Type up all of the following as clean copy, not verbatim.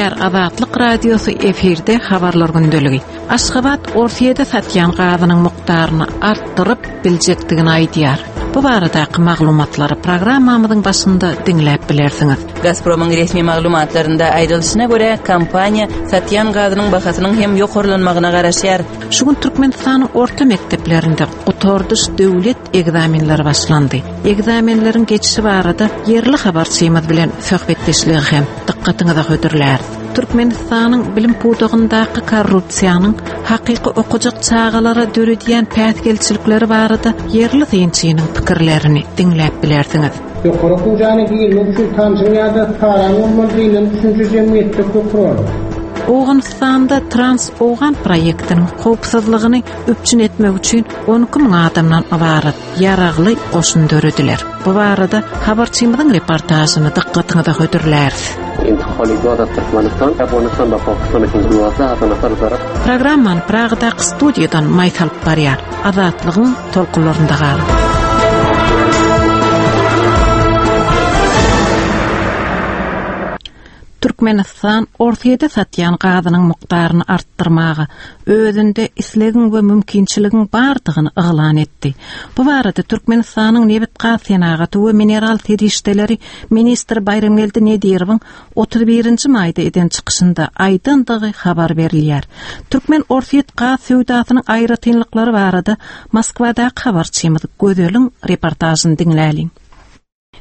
Gepleýär Azatlyk Radiosy efirde habarlar gündeligi. Aşgabat Orsýede satýan gazynyň mukdaryny artdyryp biljekdigini aýdýar. Bu baradaky maglumatlary programmamyzyň başynda diňläp bilersiňiz. Gazpromyň resmi maglumatlarynda aýdylyşyna görä, kompaniýa satýan gazynyň bahasynyň hem ýokarlanmagyna garaşýar. Şu gün Türkmenistanyň orta mekdeplerinde gutardyş döwlet ekzamenleri başlandy. Ekzamenleriň geçişi barada ýerli habarçymyz bilen söhbetdeşligi hem dykgatyňyza hödürläris. Türkmenistanyň bilim pudagyndaky korrupsiýanyň hakyky okajak çagalara döredýän päsgelçilikleri barada ýerli synçynyň pikirlerini diňläp bilersiňiz. Ýokary okuw jaýyna girmek üçin tanşyň ýa-da paraň bolmaly diýlen düşünje jemgyýetde köp rol. Owganystanda Trans-Owgan proýektiniň howpsuzlygyny üpjün etmek üçin 12 müň adamdan ybarat ýaragly goşun dörediler. Bu barada habarçymyzyň reportažyny dykgatyňyza hödürläris. Programmany Pragadaky studiýadan Maýsa alyp barýar. Azatlygyň tolkunlarynda galyň. Türkmenistan Orsýete satýan gazynyň mukdaryny artdyrmaga özünde islegiň we mümkinçiligiň bardygyny yglan etdi. Bu barada Türkmenistanyň nebit-gaz senagaty we mineral serişdeleri ministri Baýramgeldi Nedirowyň 31-nji maýda eden çykyşynda aýdandygy habar berilýär. Türkmen-orsýet gaz söwdasynyň aýratynlyklary barada Moskwadaky habarçymyz Gözeliň reportažyny diňläliň.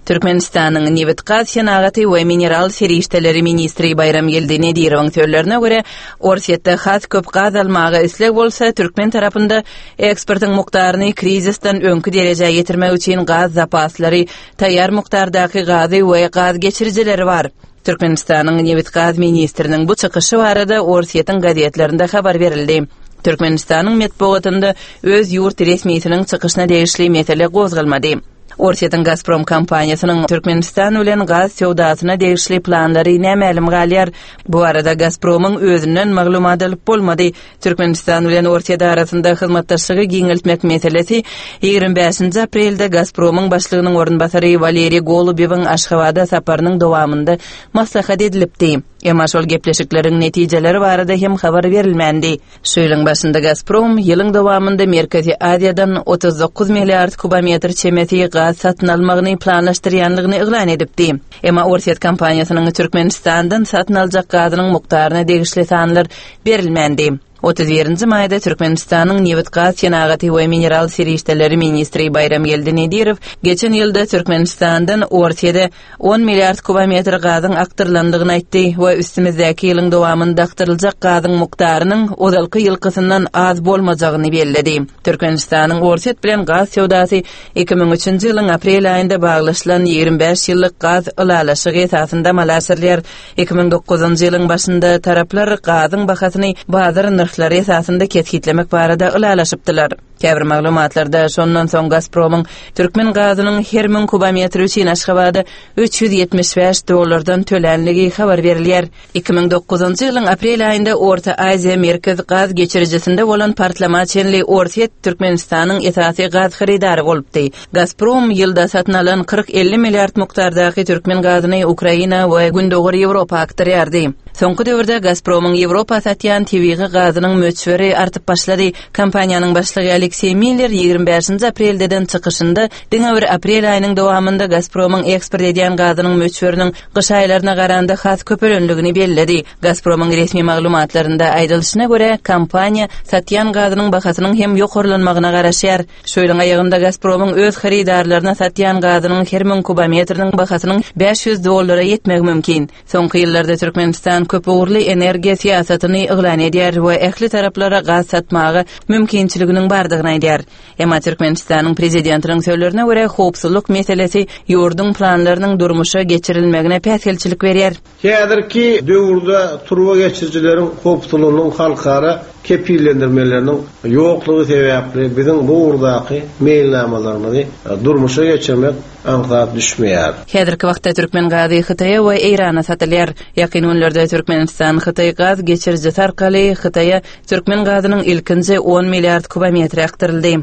Türkmenistanyň nebit-gaz senagaty we mineral serişdeleri ministri Baýramgeldi Nedirowyň sözlerine görä, Orsýetde has köp gaz almaga isleg bolsa, türkmen tarapynda eksportyň mukdaryny krizisden öňki derejä ýetirmek üçin gaz zapaslary, taýýar mukdardaky gazy we gaz geçirijileri bar. Türkmenistanyň nebit-gaz ministriniň bu çykyşy barada Orsýetiň gazetlerinde habar berildi. Türkmenistanyň metbugatynda öz ýurt resmisiniň çykyşyna degişli mesele gozgalmady. Orsýetiň Gazprom kompaniýasynyň Türkmenistan bilen gaz söwdasyna degişli planlary nämälim galýar. Bu barada Gazpromyň özünden maglumat alyp bolmady. Türkmenistan bilen Orsýet arasynda hyzmatdaşlygy giňeltmek meselesi 25-nji aprelde Gazpromyň başlygynyň orunbasary Waleriý Golubewiň Aşgabada saparynyň dowamynda maslahat edilipdi. Emma şol gepleşikleriň netijeleri barada hem habar berilmändi. Şu ýylyň başynda Gazprom ýylyň dowamynda Merkezi Aziýadan 39 milliard kubometr çemesi gaz satyn almagyny planlaşdyrýandygyny yglan edipdi. Emma orsýet kompaniýasynyň Türkmenistandan satyn aljak gazynyň mukdaryna degişli sanlar berilmändi. 31-nji maýda Türkmenistanyň nebit-gaz senagaty we mineral serişdeleri ministri Baýramgeldi Nedirow geçen ýylda Türkmenistandan Orsýede on milliard kubometr gazyň akdyrylandygyny aýtdy we üstümizdäki ýylyň dowamynda akdyryljak gazyň mukdarynyň ozalky ýylkysyndan az bolmajagyny belledi. Türkmenistanyň Orsýet bilen gaz söwdasy 2003-nji ýylyň aprel aýynda baglaşylan 25 ýyllyk gaz ylalaşygy esasynda amala aşyrylýar. 2009-njy ýylyň başynda taraplar gazyň bahasyny bazar nyrhlary esasynda kesgitlemek barada ylalaşypdylar. Käbir maglumatlarda şondan soň Gazpromyň türkmen gazynyň her müň kubometri üçin Aşgabada 375 dollardan tölänligi habar berilýär. 2009-njy ýylyň aprel aýynda Orta Aziýa Merkez gaz geçirijisinde bolan partlama çenli Orsýet Türkmenistanyň esasy gaz hyrydary bolupdy. Gazprom ýylda satyn alan 40-50 milliard mukdardaky türkmen gazyny Ukraina we Gündogar Ýewropa akdyrýardy. Soňky döwürde Gazpromyň Ýewropa satýan tebigy gazynyň möçberi artyp başlady. Kompaniýanyň başlygy Alekseý Miller 25-nji aprelde eden çykyşynda diňe bir aprel aýynyň dowamynda Gazpromyň eksport edýän gazynyň möçberiniň gyş aýlaryna garanda has köpelendigini belledi. Gazpromyň resmi maglumatlarynda aýdylyşyna görä, kompaniýa satýan gazynyň bahasynyň hem ýokarlanmagyna garaşýar. Şu ýylyň aýagynda Gazpromyň öz hyrydarlaryna satýan gazynyň her müň kubometriniň bahasynyň 500 dollara ýetmegi mümkin. Soňky ýyllarda Türkmenistan köpugurly energiýa syýasatyny yglan edýär we ähli taraplara gaz satmaga mümkinçiliginiň bardygyny aýdýar. Emma Türkmenistanyň prezidentiniň sözlerine görä, howpsuzlyk meselesi ýurduň planlarynyň durmuşa geçirilmegine päsgelçilik berýär. Häzirki döwürde turba geçirijileriň howpsuzlygynyň halkara kepillendirmeleriniň ýoklugy sebäpli biziň bu ugurdaky meýilnamalarymyzy durmuşa geçirmek aňsat düşmeýär. Häzirki wagtda türkmen gazy Hytaýa we Eýrana satylýar. Ýakyn günlerde Türkmenistan-Hytaý gaz geçirijisi arkaly Hytaýa türkmen gazynyň ilkinji on milliard kubometri akdyryldy.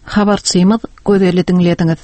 Habarçymyz Gözeli diňlediňiz.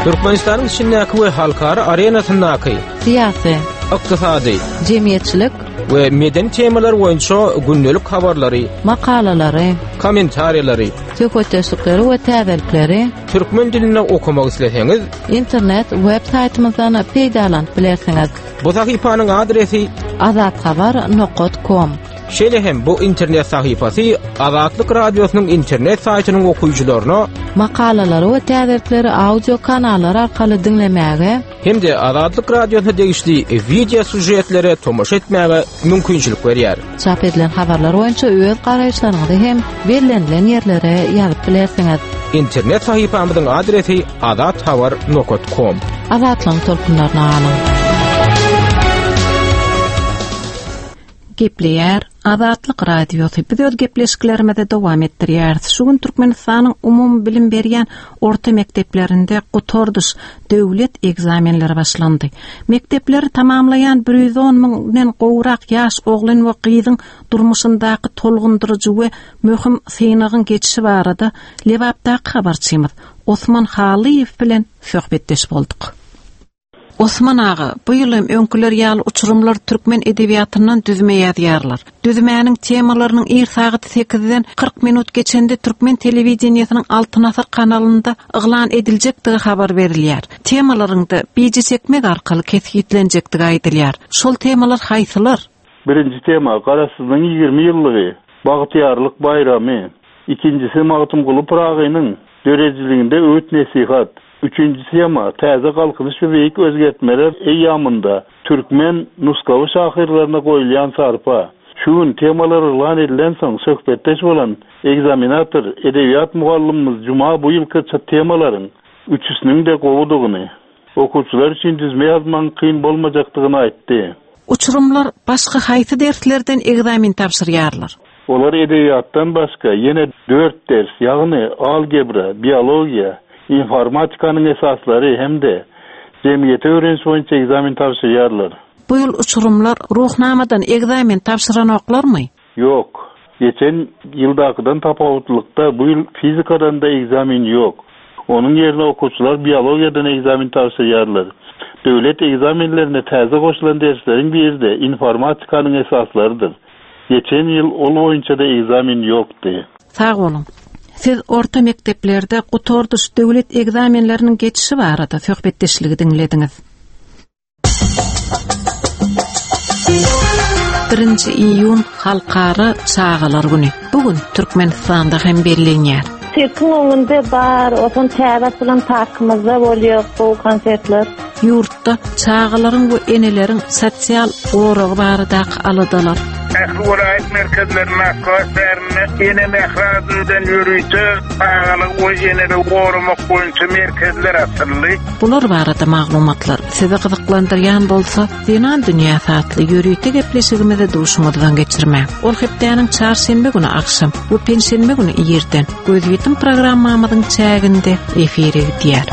Türkmenistanyň içindäki we halkara arenasyndaky syýasy, ykdysady, jemgyýetçilik we medeni temalar boýunça gündelik habarlary, makalalary, kommentariýalary, söhbetdeşlikleri we täzelikleri türkmen dilinde okamak isleseňiz, internet web saýtymyzdan peýdalanyp bilersiňiz. Bu sahypanyň adresi azathabar nokat kom. Şeýle hem bu internet sahypasy Azatlyk Radiosynyň internet saýtynyň okyjylaryna makalalary we täzelikleri audio kanallar arkaly diňlemäge hem-de Azatlyk Radiosyna degişli wideo sýužetlere tomaşa etmäge mümkinçilik berýär. Çap edilen habarlar boýunça öz garaýyşlaryňyzy hem bellenilen ýerlere ýazyp bilersiňiz. Internet sahypamyzyň adresi azathabar nokat kom. Azatlygyň tolkunlaryna galyň! Gepleýär Azatlyk Radiosy. Biz öz gepleşiklerimizi dowam etdirýäris. Şu gün Türkmenistanyň umumybilim berýän orta mekdeplerinde gutardyş döwlet ekzamenleri başlandy. Mekdepleri tamamlaýan 110 müňden gowrak ýaş oglan we gyzyň durmuşyndaky tolgundyryjy we möhüm synagyň geçişi barada Lebapdaky habarçymyz Osman Halyýew bilen söhbetdeş bolduk. Osman aga, bu ýyl hem öňküler ýaly uçurymlar türkmen edebiýatyndan düzme ýazýarlar. Düzmäniň temalarynyň ir sagat sekizden 40 minut geçende türkmen telewideniýesiniň Altyn asyr kanalynda yglan ediljekdigi habar berilýär. Temalaryň-da bije çekmek arkaly kesgitlenjekdigi aýdylýar. Şol temalar haýsylar? Birinji tema, Garaşsyzlygyň 20 ýyllygy, Bagtyýarlyk baýramy. Ikinjisi, Magtymguly Pyragynyň döredijiliginde öwüt-nesihat. Üçünji tema, Täze Galkynyş we beýik özgertmeler eýýamynda türkmen nusgawy şahyrlaryna goýulýan sarpa. Şu gün temalar yglan edilensoň söhbetdeş bolan ekzaminator, edebiýat mugallymymyz Juma bu ýylky temalaryň üçüsiniň-de gowudygyny, okuwçylar üçin düzme ýazmagyň kyn bolmajakdygyny aýtdy. Uçurymlar başga haýsy derslerden ekzamen tabşyrýarlar? Olar edebiýatdan başga ýene dört ders, ýagny algebra, biologiýa, informatikanyň esaslary hem-de jemgyýeti öwreniş boýunça ekzamen tabşyrýarlar. Bu ýyl uçurymlar Ruhnamadan ekzamen tabşyranoklarmy? Ýok. Geçen ýyldakydan tapawutlylykda bu ýyl fizikadan-da ekzamen ýok. Onuň ýerine okuwçylar biologiýadan ekzamen tabşyrýarlar. Döwlet ekzamenlerine täze goşulan dersleriň biri-de informatikanyň esaslarydyr. Geçen ýyl ol boýunça-da ekzamen ýokdy. Sag boluň. Siz orta mekdeplerde gutardyş döwlet ekzamenleriniň geçişi barada söhbetdeşligi diňlediňiz. Birinji iýun Halkara çagalar güni. Bu gün Türkmenistanda hem bellenýär. Sirkiň öňünde bar, otan täze açylan parkymyzda bolýar gowy konsertler. Ýurtda çagalaryň we eneleriň sosial goragy baradaky aladalar. Ähli welaýat merkezlerinde, Aşgabat şäherinde Ene mähri ady bilen ýörite çagalygy we eneligi goramak boýunça merkezler açyldy. Bular barada maglumatlar sizi gyzyklandyrýan bolsa, Zenan dünýäsi atly ýörite gepleşigimizi duşuňyzdan geçirmäň. Ol hepdäniň çarşenbe güni agşam we penşenbe güni irden Gözýetim programmamyzyň çäginde efire gidýär.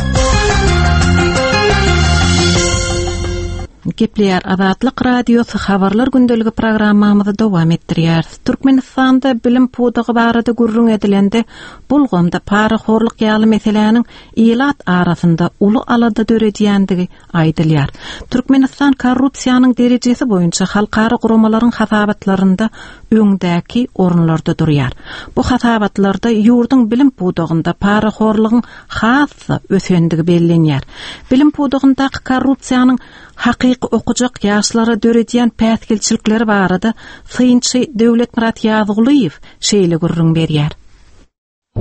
Gepleýär Azatlyk Radiosy Habarlar gündeligi programmamyzy dowam etdirýäris. Türkmenistanda bilim pudagy barada gürrüň edilende, bu ulgamda parahorluk ýaly meseläniň ilat arasynda uly alada döredýändigi aýdylýar. Türkmenistan korrupsiýanyň derejesi boýunça halkara guramalaryň hasabatlarynda öňdäki orunlarda durýar. Bu hasabatlarda ýurduň bilim pudagynda parahorlugyň has-da ösendigi bellenýär. Bilim pudagyndaky korrupsiýanyň hakyky okajak ýaşlara döredýän päsgelçilikleri barada synçy Döwletmyrat Ýazgulyýew şeýle gürrüň berýär.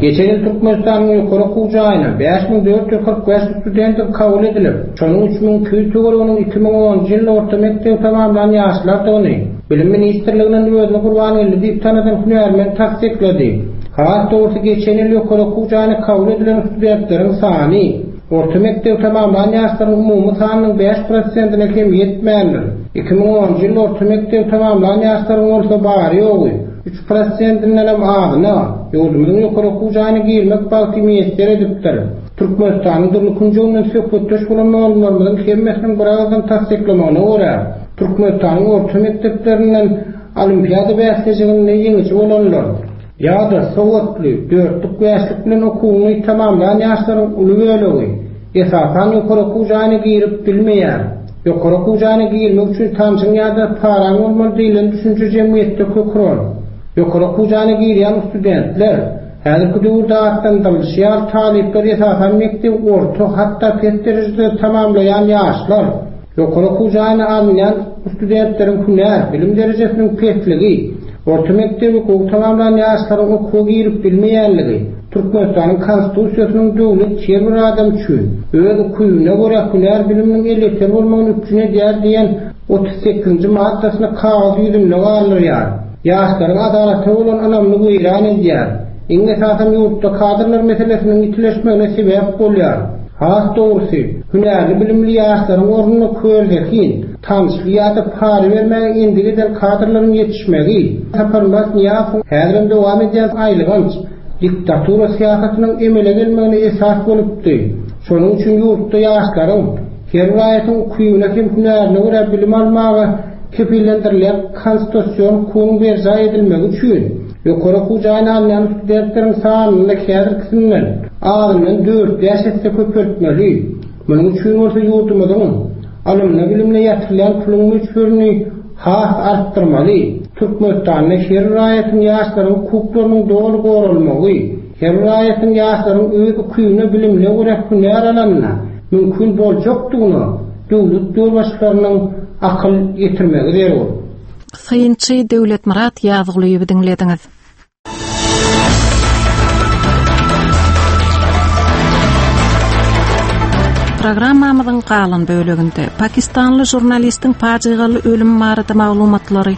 Geçen ýyl Türkmenistanyň ýokary okuw jaýyna 5445 studentiň kabul edilip, şonuň 3200 töwereginiň 2010-njy ýylda orta mekdebi tamamlan ýaşlardygyny Bilim ministrliginden özüni Gurbangeldi diýip tanadan hünärmen tassyklady. Has dogrusy, geçen ýyl ýokary okuw jaýyna kabul edilen studentleriň sany orta mekdebi tamamlan ýaşlaryň umumy sanynyň bäş prosentine hem ýetmändir. 2010-njy ýylda orta mekdebi tamamlan ýaşlaryň bolsa bary-ýogy Üç prosentindenem azyna ýurdumyzyň ýokary okuw jaýyna girmek bagty miýesser edipdir. Türkmenistanyň dürli künjeginden söhbetdeş bolan mugallymlarymyzyň hemmesiniň biragyzdan tassyklamagyna görä, Türkmenistanyň orta mekdeplerinden olimpiada bäsleşiginde ýeňiji bolanlar ýa-da sowatly, dörtlük-bäşlik bilen okuwyny tamamlan ýaşlaryň uly bölegi. Esasan ýokary okuw jaýyna girip bilmeýär. Ýokary okuw jaýyna girmek üçin tanşyň ýa-da paraň bolmaly diýlen düşünje jemgyýetde kök uran. Ýokary okuw jaýyna girýän studentler, häzirki döwürde atlandyrylyşy ýaly talyplar esasan mekdebi orta, hatda pes derejede tamamlaýan ýaşlar. Ýokary okuw jaýyna alynýan studentleriň hünär, bilim derejesiniň pesligi, orta mekdebi gowy tamamlan ýaşlaryň okuwa girip bilmeýänligi, Türkmenistanyň Konstitusiýasynyň döwlet her bir adam üçin öz ukybyna görä hünär biliminiň elýeter bolmagyny üpjün edýär diýen 38-nji maddasyny kagyz ýüzünde galdyrýar. Ýaşlaryň adalata bolan ynamyny weýran edýär. Iň esasam ýurtda kadrlar meselesiniň ýitileşmegine sebäp bolýar. Has dogrusy, hünärli bilimli ýaşlaryň ornuna körzehin, tanyşly ýa-da para bermäge endik eden kadrlaryň ýetişmegi, Saparmyrat Nyýazowyň häzirem dowam edýän aýylganç diktatura syýasatynyň emele gelmegine esas bolupdy. Şonuň üçin ýurtda ýaşlaryň, her raýatyň ukybyna hem hünärine görä bilim almaga kepillendirilýän konstitusion hukugyň berjaý edilmegi üçin, Ýokary okuw jaýyna alynýan studentleriň sanyny häzirkisinden azyndan dört-bäş esse köpeltmeli. Munuň üçin bolsa ýurdumyzyň ylymyna-bilimine ýatyrylýan puluň möçberini has artdyrmaly. Türkmenistanda her raýatyň ýaşlaryň hukuklarynyň doly goralmagy, her raýatyň ýaşlaryň öz ukybyna bilimine görä hünär alanyna mümkin boljakdygyna döwlet ýolbaşçylarynyň akyl ýetirmegi zerur. Synçy Döwletmyrat Ýazgulyýewi diňlediňiz. Programmamyzyň galan böleginde pakistanly žurnalistiň pajygaly ölümi barada maglumatlary,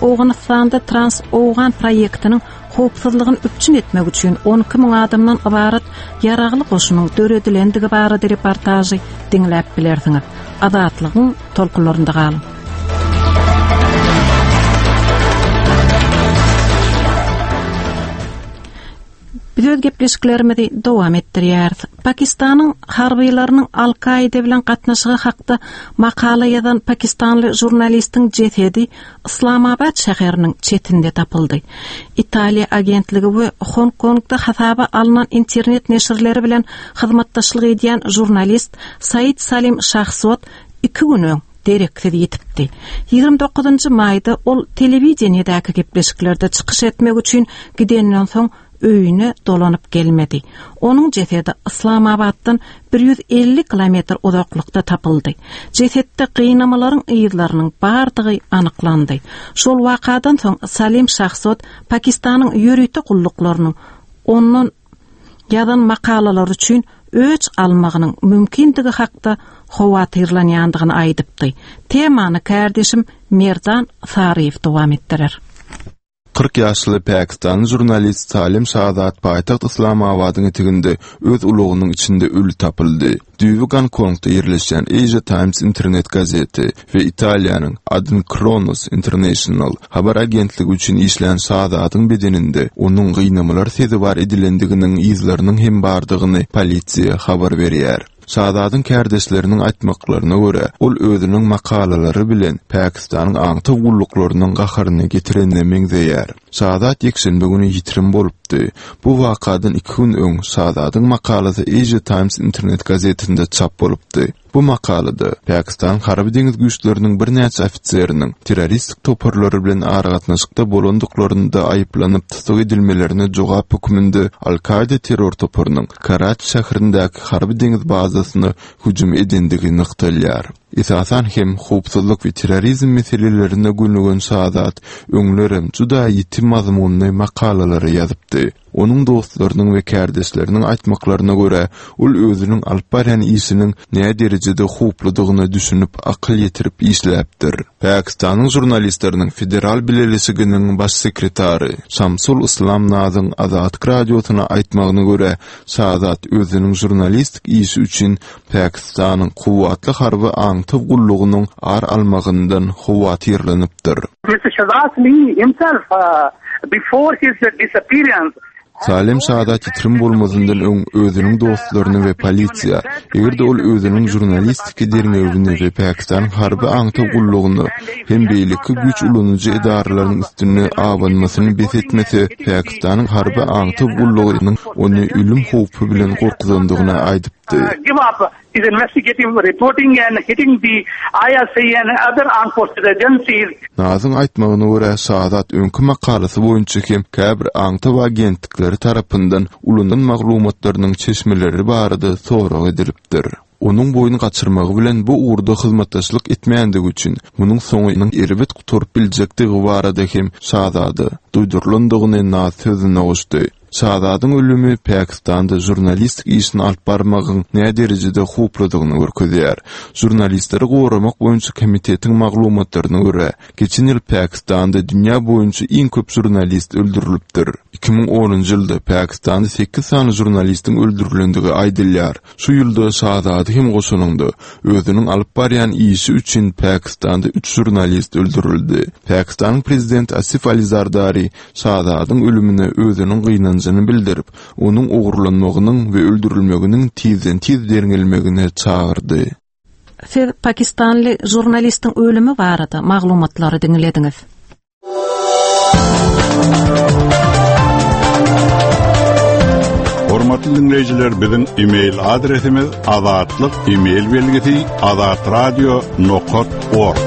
Owganystanda Trans-Owgan proýektiniň howpsuzlygyny üpjün etmek üçin 12 müň adamdan ybarat ýaragly goşunyň döredilendigi barada reportažy diňläp bilersiňiz. Azatlygyň tolkunlarynda galyň. Biz öz gepleşiklerimizi dowam etdirýäris. Pakistanyň harbylarynyň Al-Kaide bilen gatnaşygy hakda makala ýazan pakistanly žurnalistiň jesedi Yslamabat şäheriniň çetinde tapyldy. Italiýa agentligi we Hong-Kongda hasaba alnan internet neşirleri bilen hyzmatdaşlyk edýän žurnalist Said Salim Şahzod iki gün öň dereksiz ýitipdi. 29-njy maýda ol telewideniýedäki gepleşiklerde çykyş etmek üçin gidenden soň öýüne dolanyp gelmedi. Onuň jesedi Yslamabatdan 150 kilometr uzaklykda tapyldy. Jesetde gynamalaryň yzlarynyň bardygy anyklandy. Şol wakadan soň Salim Şahzod Pakistanyň ýörite gulluklarynyň ondan ýazan makalalary üçin öç almagynyň mümkindigi hakda howatyrlanýandygyny aýdypdy. Temany kärdeşim Merdan Saryýew dowam etdirer. 40 ýaşly pakistanly žurnalist Salim Şahzad paýtagt Yslamabadyň eteginde öz ulagynyň içinde öli tapyldy. Düýbi Gonkongda ýerleşýän Asia Times internet gazeti we Italiýanyň Adnkronos International habar agentligi üçin işlän Şahzadyň bedeninde onuň gynamalar sezewar edilendiginiň yzlarynyň hem bardygyny polisiýa habar berýär. Şahzadyň kärdeşleriniň aýtmaklaryna görä, ol özüniň makalalary bilen Pakistanyň aňtaw gulluklarynyň gaharyny getirenine meňzeýär. Şahzad ýekşenbe güni ýitirim bolupdy. Bu wakadan iki gün öň Şahzadyň makalasy Asia Times internet gazetinde çap bolupdy. Bu makalada Pakistanyň harby-deňiz güýçleriniň birnäçe ofiseriniň terroristik toparlary bilen aragatnaşykda bolandyklarynda aýyplanyp tussag edilmelerine jogap hökmünde Al-Kaýda terror toparynyň Karaçi şäherindäki harby-deňiz bazasyna hüjüm edendigi nygtalýar. Esasan hem, howpsuzlyk we terrorizm meselelerine gönügen Şazad öňlerem juda ýiti mazmunly makalalary ýazypdy. Onuň dostlarynyň we kärdeşleriniň aýtmaklaryna görä, ol özüniň alyp barýan işiniň näderejede howpludygyna düşünip, akyl ýetirip işläpdir. Pakistanyň žurnalistleriniň federal bileleşiginiň baş sekretary Şamsul Yslam Nazyň Azatlyk Radiosyna aýtmagyna görä, Şazad özüniň žurnalistik işi üçin Pakistanyň kuwwatly harby aňtaw gullugynyň ar almagyndan howatyrlanypdyr. Mister Shahzad Lee himself before his disappearance Salim Şazad ýitirim bolmazyndan öň özüniň dostlaryna we polisiýa, eger-de ol özüniň žurnalistiki derňewini we Pakistanyň harby aňtaw gullugyna hem beýleki güýç ulanyjy edaralaryň üstünde abanmasyny bes etmese, Pakistanyň harby aňtaw gullugynyň ony ölüm howpy bilen gorkuzandygyny aýdypdyr. aýtdy. Give up his investigative reporting and hitting the ISI and other armed forces agencies. Nazyň aýtmagyna görä, Şazad öňki makalasy boýunça hem käbir aňtaw agentlikleri tarapyndan ulanylan maglumatlarynyň çeşmeleri barada sorag edilipdir. Onuň boýun gaçyrmagy bilen bu ugurda hyzmatdaşlyk etmändigi üçin munuň soňunyň erbet gutaryp biljekdigi barada hem Şazada duýdurylandygyny Naz sözüne goşdy. Şazadyň ölümi Pakistanda žurnalistik işini alyp barmagyň näderejede howpludygyny görkezýär. Žurnalistleri goramak boýunça komitetiň maglumatlaryna görä, geçen ýyl Pakistanda dünýä boýunça iň köp žurnalist öldürilipdir. 2010-njy ýylda Pakistanda sekiz sany žurnalistiň öldürilendigi aýdylýar. Şu ýylda Şazady hem goşanyňda, özüniň alyp barýan işi üçin Pakistanda üç žurnalist öldürildi. Pakistanyň prezidenti Asif Ali Zardari Şazadyň ölümine özüniň gynanjyny bildirip, onuň ogurlanmagynyň we öldürilmeginiň tizden-tiz derňelmegine çagyrdy. Siz pakistanly žurnalistiň ölümi barada maglumatlary diňlediňiz. Hormatly diňleýjiler, biziň e-mail adresimiz azatlyk e-mail belgisi azatradio nokat org.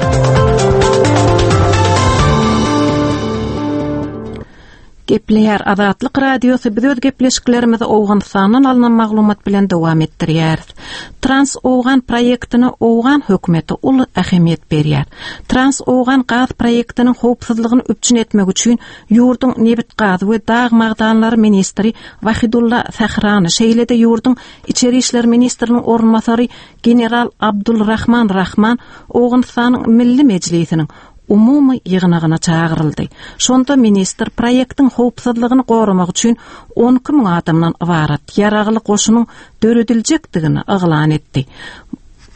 Gepleýär Azatlyk Radiosy biz öz gepleşiklerimizi Owganystandan alnan maglumat bilen dowam etdirýäris. Trans Owgan proýektine owgan hökümeti uly ähemiýet berýär. Trans Owgan gaz proýektiniň howpsuzlygyny üpjün etmek üçin ýurduň nebit-gaz we dag magdanlary ministri Wahidulla Sahrany, şeýle-de ýurduň içeri işler ministriniň orunbasary general Abdul Rahman Rahman Owganystanyň Milli Mejlisiniň umumy ýygnagyna çagyryldy. Şonda ministr proýektiň howpsuzlygyny goramak üçin 12 müň adamdan ybarat ýaragly goşunyň dörediljekdigini yglan etdi.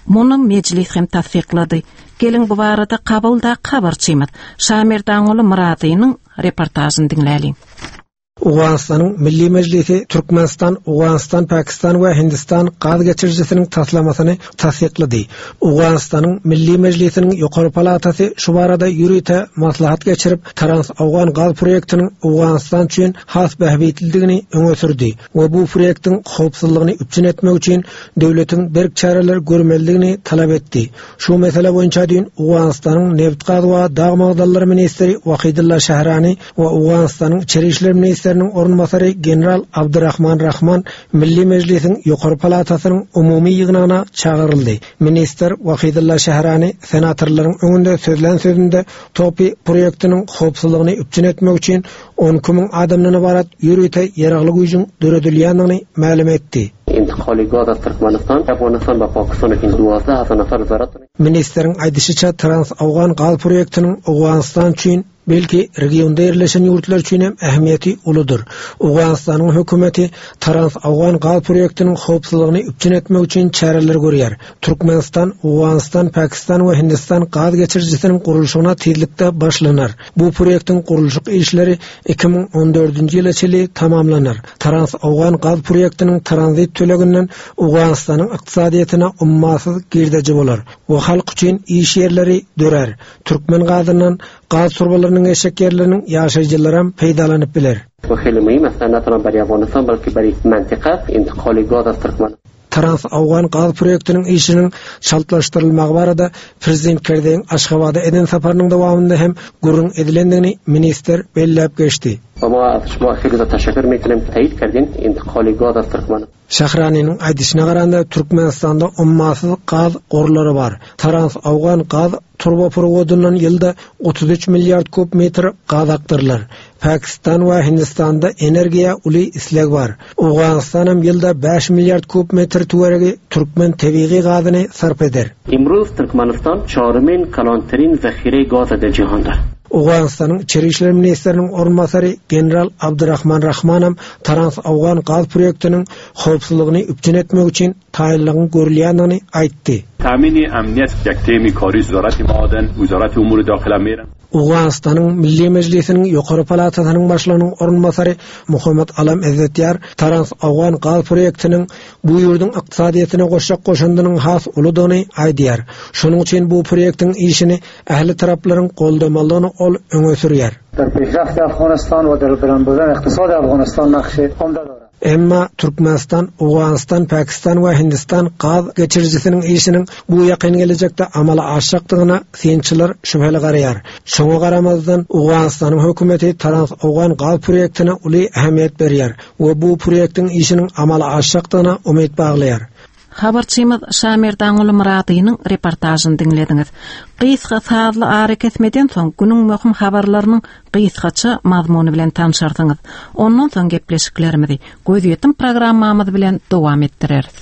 Muny mejlis hem tassyklady. Geliň bu barada Kabuldaky habarçymyz Şamerdanguly Myradynyň reportažyny diňläliň. Owganystanyň Milli Mejlisi Türkmenistan, Owganystan, Pakistan we Hindistan gaz geçirijisiniň taslamasyny tassyklady. Owganystanyň Milli Mejlisiniň ýokary palatasy şu barada ýörite maslahat geçirip, Trans-Owgan gaz proýektiniň Owganystan üçin has bähbitlidigini öňe sürdi we bu proýektiň howpsuzlygyny üpjün etmek üçin döwletiň berk çäreler görmelidigini talap etdi. Şu mesele boýunça düýn Owganystanyň nebit-gaz we dag magdanlary ministri Wahidulla Şahrani we Owganystanyň Içeri işler ministriniň orunbasary general Abdurrahman Rahman Milli Mejlisiň ýokary palatasynyň umumy ýygnagyna çagyryldy. Ministr Wahidulla Şahrani senatorlaryň öňünde sözlän sözünde TOPI proýektiniň howpsuzlygyny üpjün etmek üçin 12 müň adamdan ybarat ýörite ýaragly güýjüň döredilýändigini mälim etdi. Intikali gaz az Türkmenistan, Afganistan we Pakistan üçin duwazda hazar nafar zarat. Ministriň aýdyşyça, Trans-Owgan gaz proýektiniň Owganystan üçin, belki, regionda ýerleşen ýurtlar üçin hem ähmiýeti uludyr. Owganystanyň hökümeti Trans-Owgan gaz proýektiniň howpsuzlygyny üpjün etmek üçin çäreler görýär. Türkmenistan, Owganystan, Pakistan we Hindistan gaz geçirijisiniň gurluşygyna tizlikde başlanar. Bu proýektiň gurluşyk işleri 2014-nji ýyla çenli tamamlanar. Trans-Owgan gaz proýektiniň tranzit töleginden Owganystanyň ykdysadyýetine ummasyz girdeji bolar we halk üçin iş ýerleri dörär. Türkmen gazyndan gaz turbalarynyň geçjek ýerleriniň ýaşaýjylaram peýdalanyp biler. Trans-Owgan gaz proýektiniň işiniň çaltlaşdyrylmagy barada Prezident Kerzeýiň Aşgabada eden saparynyň dowamynda hem gürrüň edilendigini ministr belläp geçdi. Şahraniniň aýdyşyna garanda, Türkmenistanda ummasyz gaz gorlary bar. Trans-Owgan gaz turbopurwodyndan ýylda 33 milliard kub metr gaz akdyrylar. Pakistan we Hindistanda energiýa uly isleg bar. Owganystanam ýylda bäş milliard kub metr töweregi türkmen tebigy gazyny sarp eder. Imruz Türkmenistan çarymin kalanterin zahire gaza der jihanda. Owganystanyň Içeri işler ministriniň orunbasary general Abdurrahman Rahmanam Trans-Owgan gaz proýektiniň howpsuzlygyny üpjün etmek üçin taýynlygyň görülýändigini aýtdy. Ta'mini amniyat yak temi kari wzarati maaden, wzarati umuri dakhile miran. Owganystanyň Milli Mejlisiniň ýokary palatasynyň başlygynyň orunbasary Muhammet Alam Ezzetýar Trans-Owgan gaz proýektiniň bu ýurduň ykdysadyýetine goşjak goşandynyň has uludygyny aýdýar. Şonuň üçin bu proýektiň işini ähli taraplaryň goldamalydygyny ol öňe sürýär. Der peşrafti Afganistan we der beland burden iqtisadi Afganistan nakşi omda dora. Emma Türkmenistan, Owganystan, Pakistan we Hindistan gaz geçirijisiniň işiniň bu ýakyn gelejekde amala aşjakdygyna synçylar şübheli garaýar. Şoňa garamazdan, Owganystanyň hökümeti Trans-Owgan gaz proýektine uly ähmiýet berýär we bu proýektiň işiniň amala aşjakdygyna umyt baglaýar. Habarçymyz Şamerdanguly Myradynyň reportažyny diňlediňiz. Gysga sazly arakesmeden soň günüň möhüm habarlarynyň gysgaça mazmuny bilen tanşarsyňyz. Ondan soň gepleşiklerimizi Gözýetim programmamyz bilen dowam etdireris.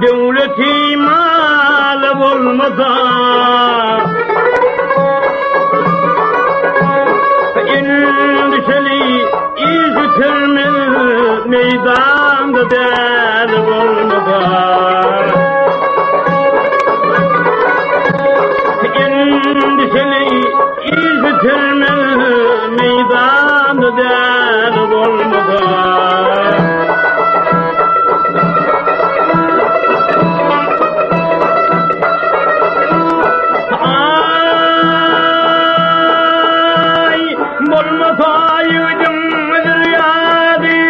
Döwleti maly bolmasa Endişeli iş bitirmez meýdanda däli bolmasa Endişeli iş bitirmez meýdanda däli bolmasa Ay, bolmasa ýüzüň ýady.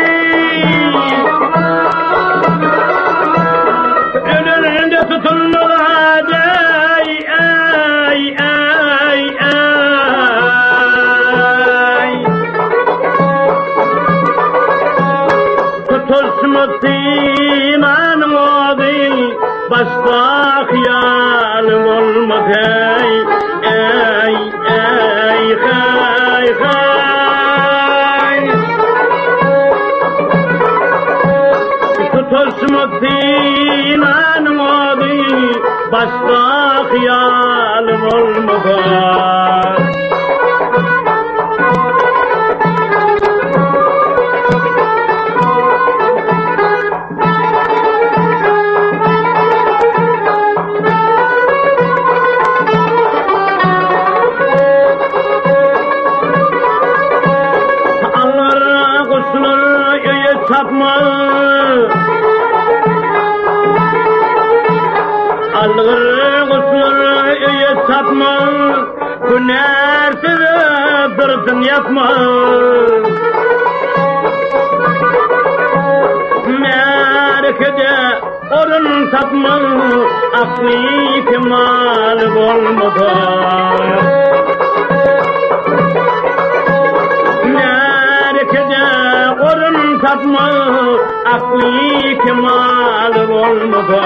Ölende tutulmaz ay, ay, ay, ay. Tutuşma synanyň ody, başda hyýal bolmaz ey, ey, ey, hey, hey. Tutuşma synanyň ody, başda hyýal bolmaz. Tapmaz. Algyr guşlar öýe çapmaz, Hünärsiz syrtyn ýapmaz. Märekede orun tapmaz, Akly kemal bolmasa. Märekede orun tapmaz, Akly kemal bolmasa.